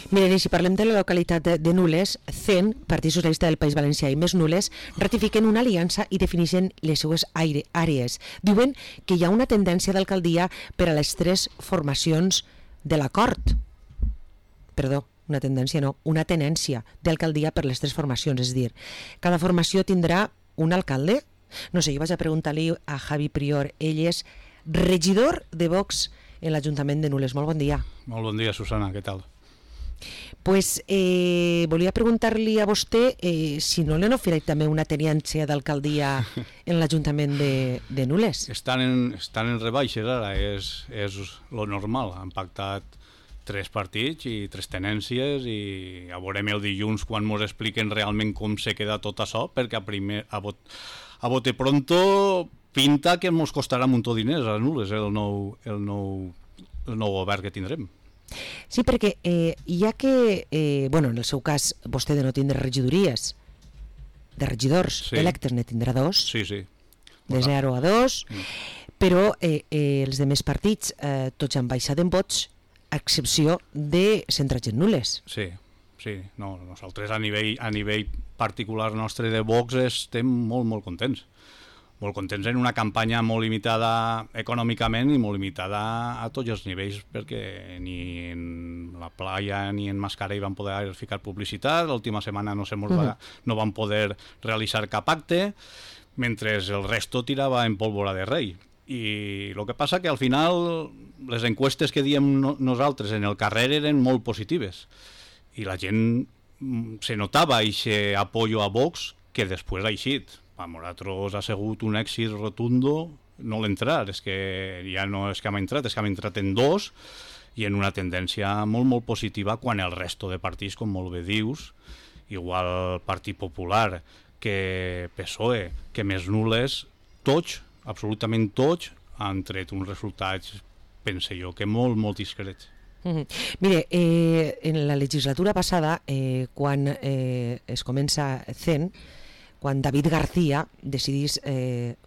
Miren, i si parlem de la localitat de Nules, CEN, Partit Socialista del País Valencià i Més Nules, ratifiquen una aliança i defineixen les seues àrees. Diuen que hi ha una tendència d'alcaldia per a les 3 formacions de l'acord. Perdó, una tendència no, una tenència d'alcaldia per les 3 formacions, és a dir, cada formació tindrà un alcalde. No sé, jo vaig a preguntar-li a Javi Prior, ell és regidor de Vox en l'Ajuntament de Nules. Molt bon dia. Molt bon dia, Susana, què tal? Pues volia preguntar-li a vostè si no li han oferit també una tenència d'alcaldia en l'Ajuntament de Nules. Estan en rebaixes ara, és lo normal. Han pactat 3 partits i 3 tenències i ja veurem el dilluns quan ens expliquen realment com se queda tot això, perquè a bote pronto pinta que ens costarà un munt de diners a Nules el nou govern que tindrem. Sí, perquè ja que, en el seu cas, vostè de no tindre regidories, de regidors electes ne tindrà 2, de 0 a 2, però els demés partits tots han baixat en vots, a excepció de centrats en Nules. Sí, no, nosaltres a nivell particular nostre de Vox estem molt contents. Molt contents en una campanya molt limitada econòmicament i molt limitada a tots els nivells, perquè ni en la playa ni en Mascarell van poder ficar publicitat, l'última setmana no van poder realitzar cap acte, mentre el resto tirava en pólvora de rei. I el que passa que al final les encuestes que diem nosaltres en el carrer eren molt positives i la gent se notava aquest apoyo a Vox que després ha eixit. A nosaltres ha sigut un èxit rotundo no l'entrar, és que ja no és que hem entrat, és que hem entrat en 2 i en una tendència molt positiva quan el resto de partits, com molt bé dius, igual Partit Popular que PSOE, que Més Nules, tots, absolutament tots, han tret uns resultats, pense jo, que molt discrets. Mire, en la legislatura passada, quan es comença CEN, quan David García decidís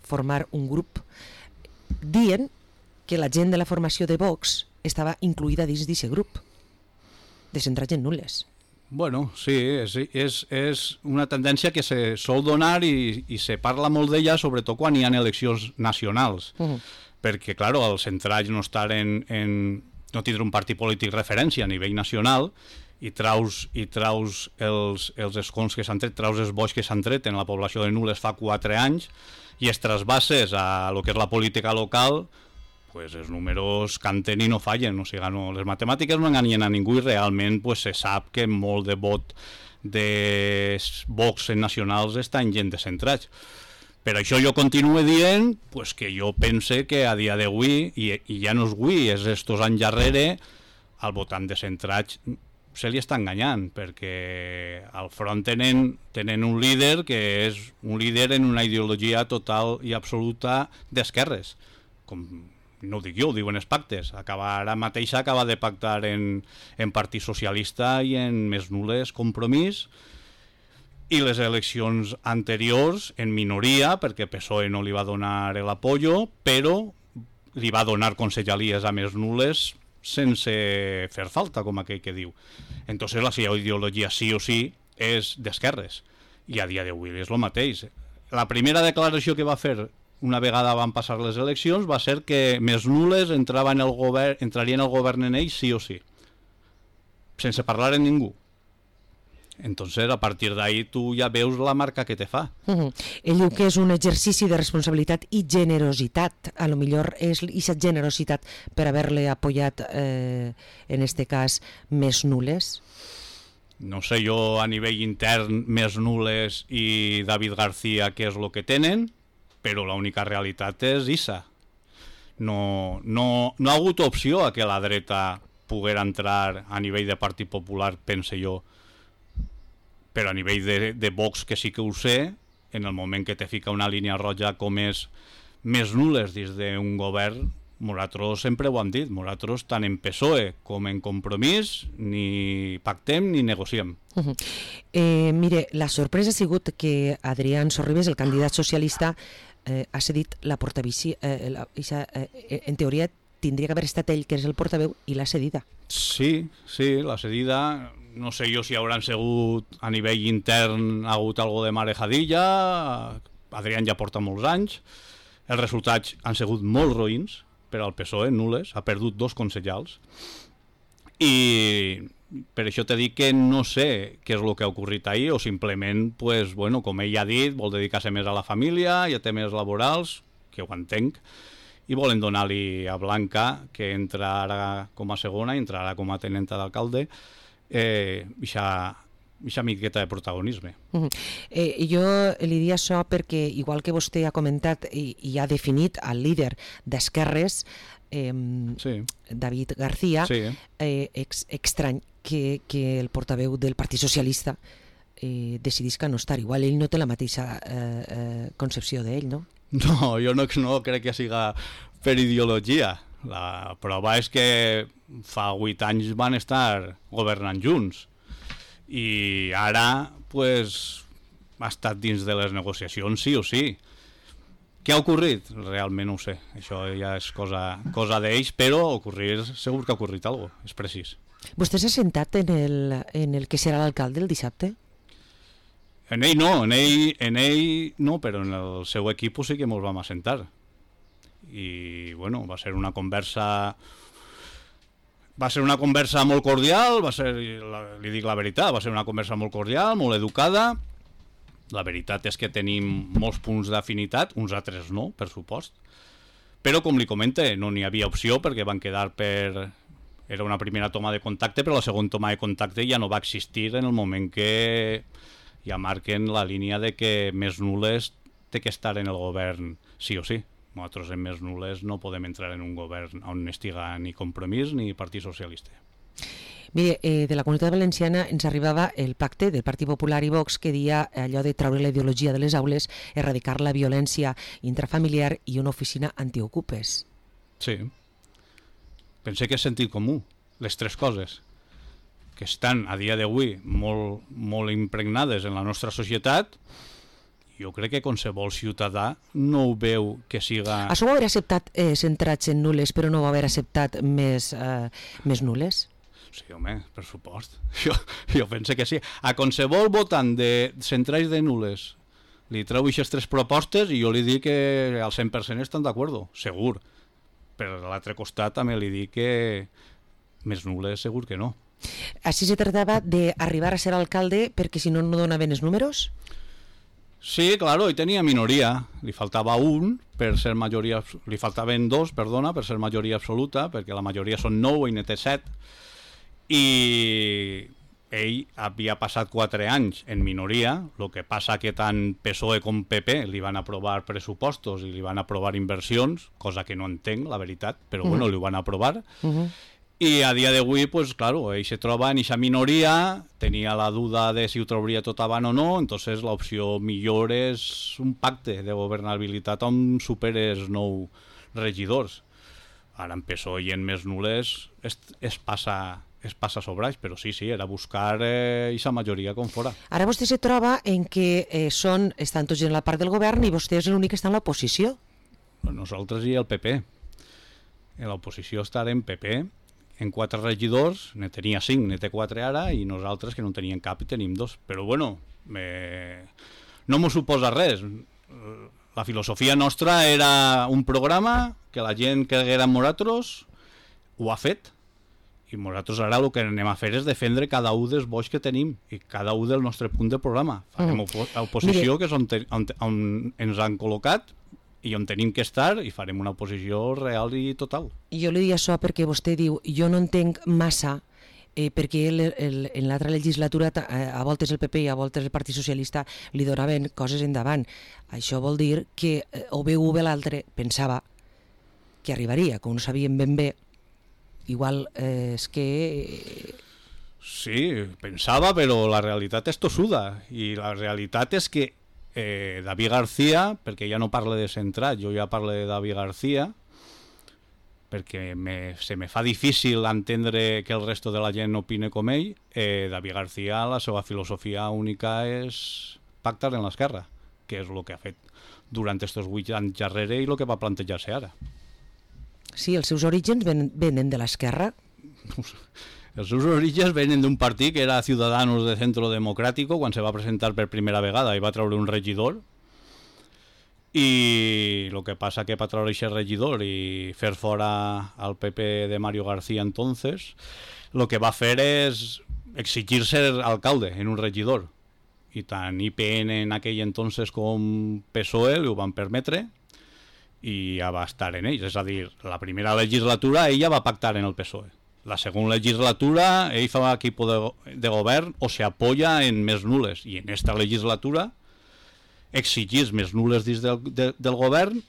formar un grup, dient que la gent de la formació de Vox estava incluïda dins d'aquest grup de centrats en Nules. Bueno, sí, és una tendència que se sol donar i se parla molt d'ella, sobretot quan hi ha eleccions nacionals, perquè, clar, els centrats no no tindre un partit polític referència a nivell nacional i traus els escons que s'han tret, traus els vots que s'han tret en la població de Nules fa 4 anys i es trasbases a lo que és la política local, pues els números canten i no fallen, o sigui, les matemàtiques no enganyen a ningú i realment pues, se sap que molt de vot de Vox en nacionals està en gent de centrats. Per això jo continuo dient pues, que jo pense que a dia d'avui, i ja no és avui, és estos anys darrere, el votant de centrats se li està enganyant, perquè al front tenen un líder que és un líder en una ideologia total i absoluta d'esquerres. Com no ho dic jo, ho diuen els pactes. Ara mateix acaba de pactar en Partit Socialista i en Més Nules Compromís, i les eleccions anteriors en minoria, perquè PSOE no li va donar l'apoyo, però li va donar consellalies a Més Nules sense fer falta, com aquell que diu. Entonces la seva ideologia sí o sí és d'esquerres i a dia d'avui és el mateix. La primera declaració que va fer una vegada van passar les eleccions va ser que Més Nules entrarien al govern en ells sí o sí, sense parlar amb ningú. Entonces, a partir d'ahí tu ja veus la marca que te fa. Ell diu que és un exercici de responsabilitat i generositat. A lo millor és aquesta generositat per haver-le apoyat, en este cas, Més Nules. No sé jo a nivell intern Més Nules i David García què és el que tenen, però l'única realitat és issa. No ha hagut opció a que la dreta poguera entrar a nivell de Partit Popular, pense jo, però a nivell de Vox que sí que ho sé, en el moment que te fica una línia roja com és Més Nules dins d'un govern, nosaltres sempre ho hem dit, nosaltres tant en PSOE com en Compromís ni pactem ni negociem. Mire, la sorpresa ha sigut que Adrián Sorribes, el candidat socialista, ha cedit la portavici, en teoria tindria que haver estat ell, que és el portaveu, i l'ha cedida. Sí, la cedida, no sé jo si hauran sigut a nivell intern, ha hagut algo de marejadilla, Adrián ja porta molts anys, els resultats han sigut molt roïns per al PSOE, nules, ha perdut 2 concejals, i per això t'he dit que no sé què és el que ha ocorrit ahir, o simplement, pues, bueno, com ell ha dit, vol dedicar-se més a la família i a temes laborals, que ho entenc, i volen donar-li a Blanca, que entra ara com a segona, entrarà com a tenenta d'alcalde, ixa miqueta de protagonisme. Jo li dic això perquè, igual que vostè ha comentat i ha definit el líder d'Esquerres, David García, estrany que el portaveu del Partit Socialista decidisca no estar. Igual ell no té la mateixa concepció d'ell, no? No, jo no crec que siga per ideologia. La prova és que fa 8 anys van estar governant junts i ara pues, ha estat dins de les negociacions sí o sí. Què ha ocorrit? Realment no ho sé. Això ja és cosa d'ells, però segur que ha ocorrit alguna cosa, és precís. Vostè s'ha sentat en el que serà l'alcalde el dissabte? En ell no, però en el seu equip sí que ens vam assentar. I, bueno, va ser una conversa molt cordial, li dic la veritat, va ser una conversa molt cordial, molt educada. La veritat és que tenim molts punts d'afinitat, uns altres no, per supost. Però, com li comente, no n'hi havia opció perquè van quedar Era una primera toma de contacte, però la segona toma de contacte ja no va existir en el moment que ja marquen la línia de que Més Nules té que estar en el govern sí o sí. Nosaltres en Més Nules no podem entrar en un govern on estiga ni Compromís ni Partit Socialista. Mire, de la Comunitat Valenciana ens arribava el pacte del Partit Popular i Vox que dia allò de treure la ideologia de les aules, erradicar la violència intrafamiliar i una oficina antiocupes. Sí. Pensé que és sentit comú, les 3 coses, que estan a dia d'avui molt impregnades en la nostra societat. Jo crec que qualsevol ciutadà no ho veu que siga... Això ho va haver acceptat centrats en nules, però no va haver acceptat més nules? Sí, home, per supost. Jo penso que sí. A qualsevol votant de centrats de nules li treu aquestes 3 propostes i jo li dic que al 100% estan d'acord, segur. Per l'altre costat també li dic que Més Nules segur que no. Així se tractava d'arribar a ser alcalde perquè si no donaven els números? Sí, claro, i tenia minoria. Li faltava per ser majoria... Li faltaven 2, perdona, per ser majoria absoluta, perquè la majoria són 9 i n'était 7. I ell havia passat 4 anys en minoria, el que passa que tant PSOE com PP li van aprovar pressupostos i li van aprovar inversions, cosa que no entenc, la veritat, però bueno, li van aprovar. I a dia d'avui, pues claro, ell se troba en aquesta minoria, tenia la duda de si ho trobaria tot avant o no, entonces l'opció millor és un pacte de governabilitat on superes 9 regidors. Ara en PSOE i en Més Nules es passa sobraix, però sí, era buscar aquesta majoria com fora. Ara vostè se troba en que estan tots en la part del govern i vostè és l'únic que està en l'oposició. Nosaltres i el PP. En l'oposició estarem PP, en 4 regidors, ne tenia 5, ne té 4 ara, i nosaltres que no en teníem cap i tenim 2. Però bueno, no m'ho suposa res. La filosofia nostra era un programa que la gent creguera en nosaltres, ho ha fet, i nosaltres ara el que anem a fer és defendre cada un dels boix que tenim i cada un del nostre punt de programa. Farem oposició, que és on ens han col·locat i on tenim que estar, i farem una oposició real i total. Jo li dic això perquè vostè diu, jo no entenc massa perquè en l'altra legislatura a voltes el PP i a voltes el Partit Socialista li donaven coses endavant. Això vol dir que o bé un o bé l'altre pensava que arribaria, com no sabien ben bé. Igual és que... Sí, pensava, però la realitat és tossuda, i la realitat és que David García, perquè ja no parle de centrat, jo ja parlo de David García, perquè se me fa difícil entendre que el resto de la gent opine com ell. David García, la seva filosofia única és pactar en l'esquerra, que és el que ha fet durant aquests 8 anys darrere i el que va plantejar-se ara. Sí, els seus orígens venen de l'esquerra. Els seus orígens venen d'un partit que era Ciudadanos de Centro Democrático, quan se va presentar per primera vegada i va treure un regidor, i el que passa que per treure aquest regidor i fer fora al PP de Mario García entonces, el que va fer és exigir ser alcalde en un regidor, i tant IPN en aquell entonces com PSOE ho van permetre i ja va estar en ells. És a dir, la primera legislatura ella va pactar en el PSOE. La segunda legislatura ell fa equipo de govern o se apoya en més nules, i en esta legislatura exigís més nules dins del govern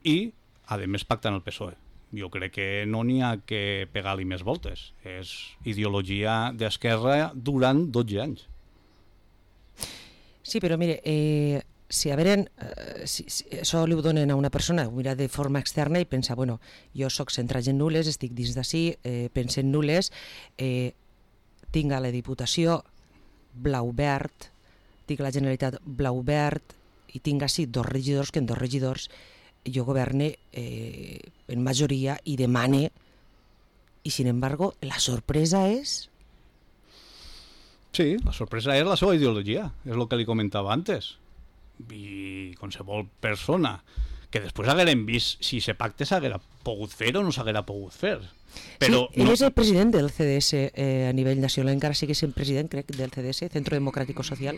i a més pacta en el PSOE. Jo crec que no n'hi ha que pegar-li més voltes. És ideologia d'esquerra durant 12 anys. Sí, però mire, si això li ho donen a una persona, ho mira de forma externa i pensa, bueno, jo soc centrat en nules, estic dins d'ací, penso en nules, tinc a la Diputació blau-verd, tinc a la Generalitat blau-verd i tinc ací 2 regidors, que en 2 regidors jo governe en majoria i demane, i sin embargo la sorpresa és... Sí, la sorpresa és la seva ideologia, és el que li comentava antes. I qualsevol persona que després haguérem vist si se pacte s'haguera pogut fer o no s'haguera pogut fer. Però sí, ell és el president del CDS a nivell nacional, encara sigue sent president, crec, del CDS, Centro Democrático Social.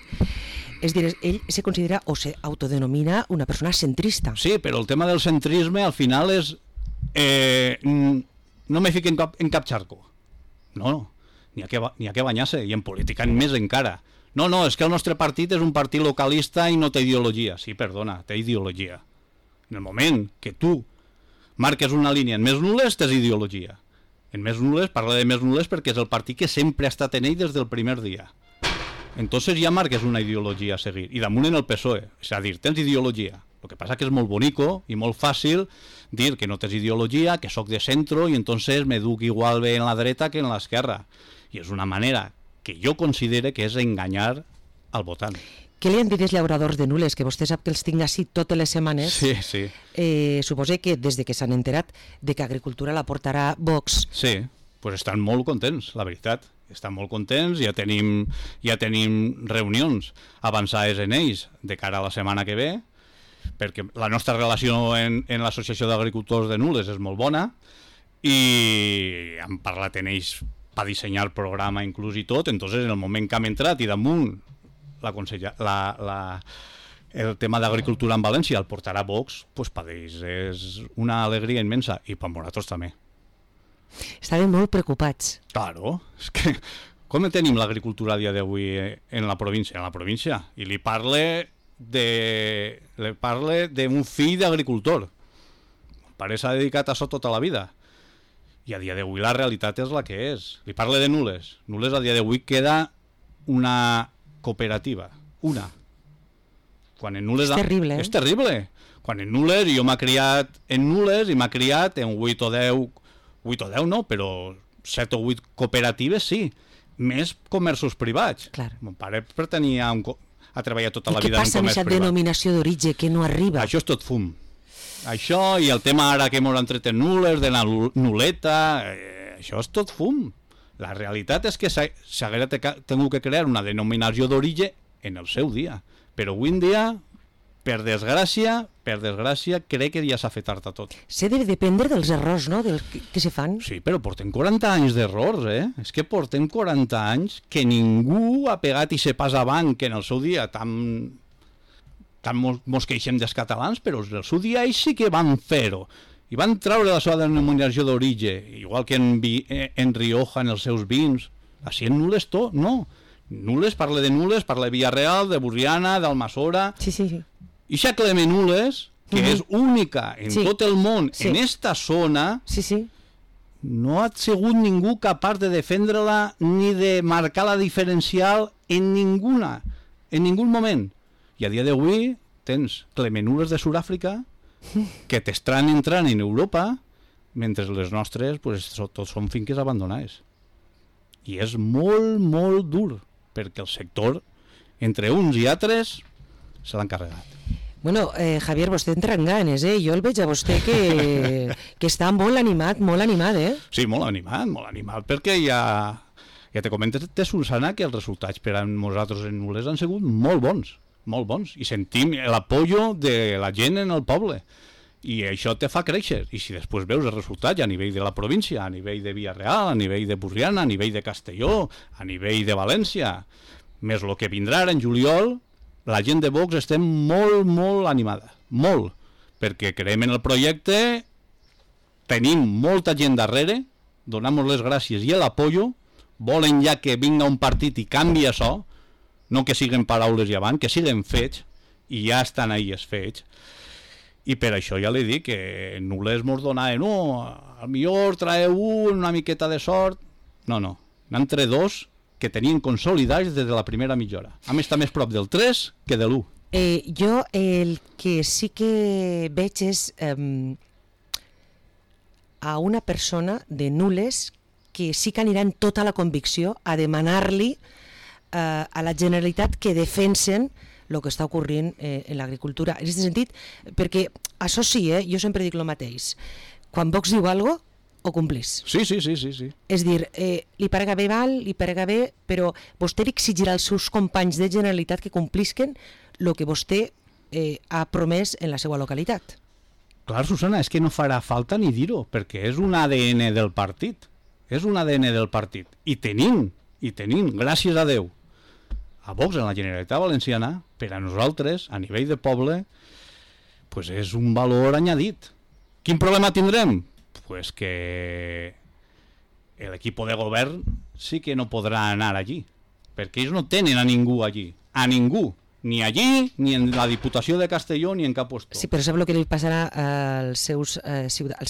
És dir, ell se considera o se autodenomina una persona centrista. Sí, però el tema del centrisme al final és... no me fiquen en cap xarco. No, n'hi ha que banyar-se, i en política més encara. No, és que el nostre partit és un partit localista i no té ideologia. Sí, perdona, té ideologia. En el moment que tu marques una línia en més nules, tens ideologia. En més nules, parla de més nules perquè és el partit que sempre ha estat en ell des del primer dia. Entonces ja marques una ideologia a seguir. I damunt en el PSOE, és a dir, tens ideologia. El que passa que és molt bonico i molt fàcil dir que no tens ideologia, que sóc de centro i entonces me duc igual bé en la dreta que en l'esquerra. I és una manera que jo considere que és enganyar al votant. Què li han dit els llauradors de nules, que vostè sap que els tinc així totes les setmanes? Sí, sí. Suposo que des de que s'han enterat de que Agricultura la portarà Vox. Sí, pues estan molt contents, la veritat. Estan molt contents, ja tenim reunions avançades en ells de cara a la setmana que ve, perquè la nostra relació en l'Associació d'Agricultors de Nules és molt bona i hem parlat en ells per dissenyar el programa inclús i tot. Entonces en el moment que hem entrat i damunt el tema d'agricultura en València el portarà Vox, pues per ells és una alegria immensa i per nosaltres també. Estaven molt preocupats. Claro, és que com tenim l'agricultura a dia d'avui en la província? En la província, i li parle d'un fill d'agricultor. El pare s'ha dedicat a això tota la vida. I a dia d'avui la realitat és la que és. Li parle de Nules. Nules a dia d'avui queda una cooperativa. Una. Quan en Nules... És terrible, És terrible. Quan en Nules, jo m'ha criat en Nules i m'ha criat en 8 o 10 no, però 7 o 8 cooperatives sí. Més comerços privats. Clar. Mon pare pertanyia a treballar tota la vida en comerç privat. I què passa amb aquesta denominació d'origen que no arriba? Això és tot fum. Això i el tema ara que m'ho han tret en nules, de la nuleta, això és tot fum. La realitat és que s'haguera tingut que crear una denominació d'origen en el seu dia. Però avui en dia, per desgràcia, crec que ja s'ha fet tard a tot. S'ha de dependre dels errors, no?, que se fan. Sí, però portem 40 anys d'errors, És que portem 40 anys que ningú ha pegat i se pas avant, que en el seu dia tant mos queixem dels catalans, però en el seu dia ells sí que van fer-ho. I van treure la seva denominació d'origen, igual que en Rioja, en els seus vins. Així en Nules tot, no. Nules, parla de Nules, parla de Villarreal, de Burriana, d'Almassora... Sí. I això Cleme Nules, que és única en tot el món, en esta zona, no ha sigut ningú capaç de defendre-la ni de marcar la diferencial en ningun moment. I a dia d'avui tens Cleme Nules de Sud-àfrica que t'estan entrant en Europa, mentre les nostres tots són finques abandonades. I és molt, molt dur, perquè el sector, entre uns i altres, se l'han carregat. Bueno, Javier, vostè entra en ganes, Jo el veig a vostè que està molt animat, Sí, molt animat, perquè ja te comentes, Susana, que els resultats per a nosaltres en Nules han sigut molt bons, i sentim l'apoyo de la gent en el poble, i això te fa créixer, i si després veus els resultats a nivell de la província, a nivell de Vila-real, a nivell de Burriana, a nivell de Castelló, a nivell de València, més el que vindrà ara en juliol, la gent de Vox estem molt animada, molt, perquè creiem en el projecte, tenim molta gent darrere, donem les gràcies i l'apoyo, volen ja que vinga un partit i canvi això, no que siguen paraules i avant, que siguen fets, i ja estan ahí els fets, i per això ja li dic que Nules mos donaven, al millor traeu una miqueta de sort, no, n'han entre dos que tenien consolidats des de la primera mitja hora. A més, està més prop del 3 que de l'1. Jo el que sí que veig és a una persona de Nules que sí que anirà en tota la convicció a demanar-li a la Generalitat que defensen el que està ocorrent en l'agricultura. En aquest sentit, perquè això sí, jo sempre dic el mateix, quan Vox diu alguna cosa, ho complís. Sí. És dir, li parega bé, li parega bé, però vostè li exigirà als seus companys de Generalitat que complisquen el que vostè ha promès en la seva localitat. Clar, Susana, és que no farà falta ni dir-ho, perquè és un ADN del partit. És un ADN del partit. I tenim, gràcies a Déu, a Vox en la Generalitat Valenciana, per a nosaltres, a nivell de poble, pues és un valor añadit. Quin problema tindrem? Pues que l'equip de govern sí que no podrà anar allí, perquè ells no tenen a ningú allí, ni allí, ni en la Diputació de Castelló, ni en cap lloc. Sí, però sap el que li passarà als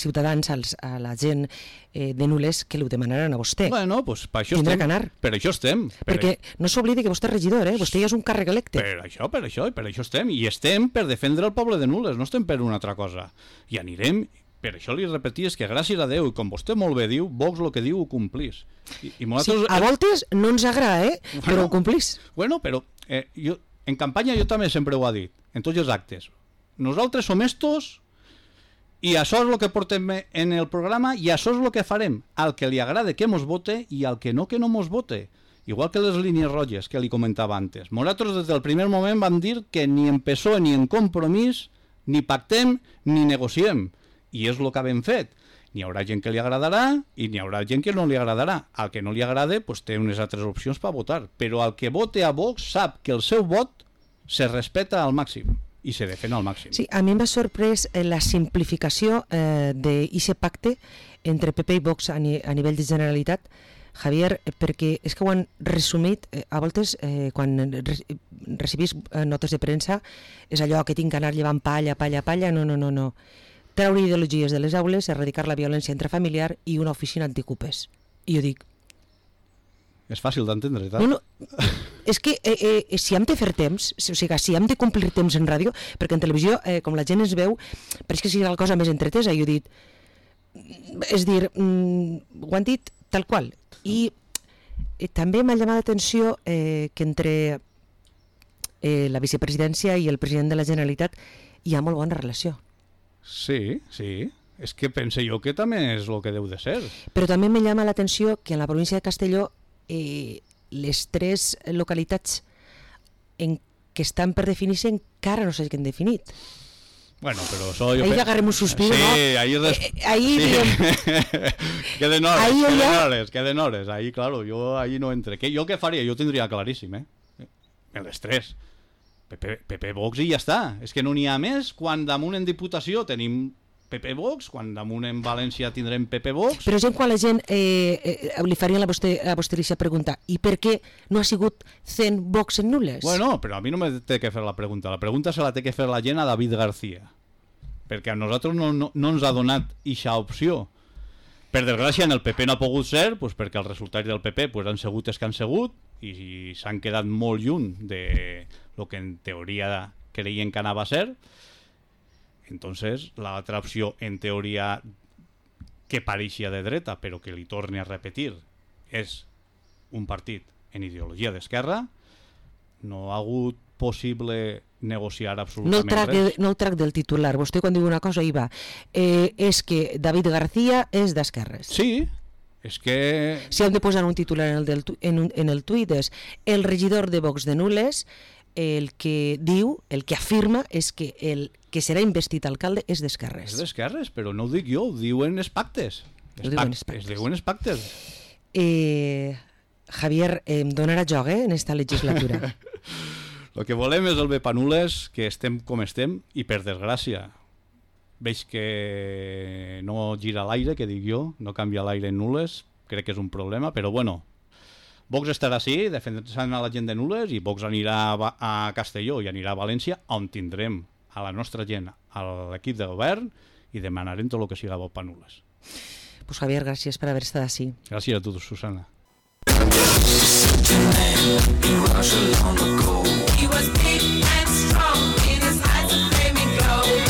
ciutadans, a la gent de Nules, que li ho demanaran a vostè. Bueno, pues per això tindrà estem. Que anar. Per això estem. Perquè no s'oblidi que vostè és regidor, vostè ja és un càrrec electe. Per això estem. I estem per defendre el poble de Nules, no estem per una altra cosa. I anirem. Per això li repeties que gràcies a Déu, i com vostè molt bé diu, Vox el que diu ho complís. I nosaltres... Sí, a voltes no ens agrada, però ho complís. Bueno, però en campanya jo també sempre ho he dit, en tots els actes. Nosaltres som estos i això és el que portem en el programa i això és el que farem. Al que li agrada que mos vote i al que no mos vote. Igual que les línies roges que li comentava antes. Nosaltres des del primer moment vam dir que ni en PSOE ni en Compromís ni pactem ni negociem. I és el que hem fet. N'hi haurà gent que li agradarà i n'hi haurà gent que no li agradarà. Al que no li agrada pues, té unes altres opcions per votar. Però al que vote a Vox sap que el seu vot se respecta al màxim i se defèn al màxim. Sí, a mi m'ha sorprès la simplificació d'aquest pacte entre PP i Vox a nivell de Generalitat, Javier, perquè és que ho han resumit, a voltes, quan recibís notes de premsa, és allò que tinc que anar llevant palla, no. Treure ideologies de les aules, erradicar la violència intrafamiliar i una oficina anticupes. I jo dic... És fàcil d'entendre, tal? No, és que si hem de fer temps, o sigui, si hem de complir temps en ràdio, perquè en televisió, com la gent es veu, pareix que sigui la cosa més entretesa, i jo he dit... És dir, ho han dit tal qual. I també m'ha llamat l'atenció que entre la vicepresidència i el president de la Generalitat hi ha molt bona relació. Sí. És que pense jo que també és el que deu de ser. Però també me llama l'atenció que en la província de Castelló les tres localitats que estan per definir-se encara no s'hagin definit. Bueno, però això... Ahí le agarrem un suspiro, sí, ¿no? Ahí sí. Queden hores. Ahí, claro, yo ahí no entre. ¿Yo qué faria? Jo tindria claríssim, les tres. PP Vox i ja està. És que no n'hi ha més. Quan damunt en Diputació tenim PP Vox, quan damunt en València tindrem PP Vox... Però quan la gent li farien a vostè la pregunta, i per què no ha sigut 100 Vox en Nules? Bueno, però a mi no me té que fer la pregunta. La pregunta se la té que fer la gent a David García, perquè a nosaltres no ens ha donat eixa opció. Per desgràcia, en el PP no ha pogut ser, doncs perquè els resultats del PP han sigut els que han sigut i s'han quedat molt lluny de lo que en teoria creien que anava a ser. Entonces, l'altra opció, en teoria, que pareixia de dreta, però que li torni a repetir, és un partit en ideologia d'esquerra. No ha hagut possible negociar absolutament res. No el trac del titular. Vostè quan diu una cosa hi va. És que David García és d'esquerres. Sí, és que... Si hem de posar un titular en el tuit és el regidor de Vox de Nules el que diu, el que afirma és que el que serà investit alcalde és d'esquerres. És d'esquerres, però no ho dic jo, ho diuen els pactes. Es diuen els pactes. Javier, em donarà joc en esta legislatura. El que volem és el bé pa Nules, que estem com estem, i per desgràcia veig que no gira l'aire, que dic jo, no canvia l'aire en Nules, crec que és un problema, però bueno, Vox estarà així, defensant a la gent de Nules, i Vox anirà a Castelló i anirà a València, on tindrem a la nostra gent, a l'equip de govern, i demanarem tot el que siga bo pa Nules. Pues Javier, gràcies per haver estat així. Gràcies a tu, Susana.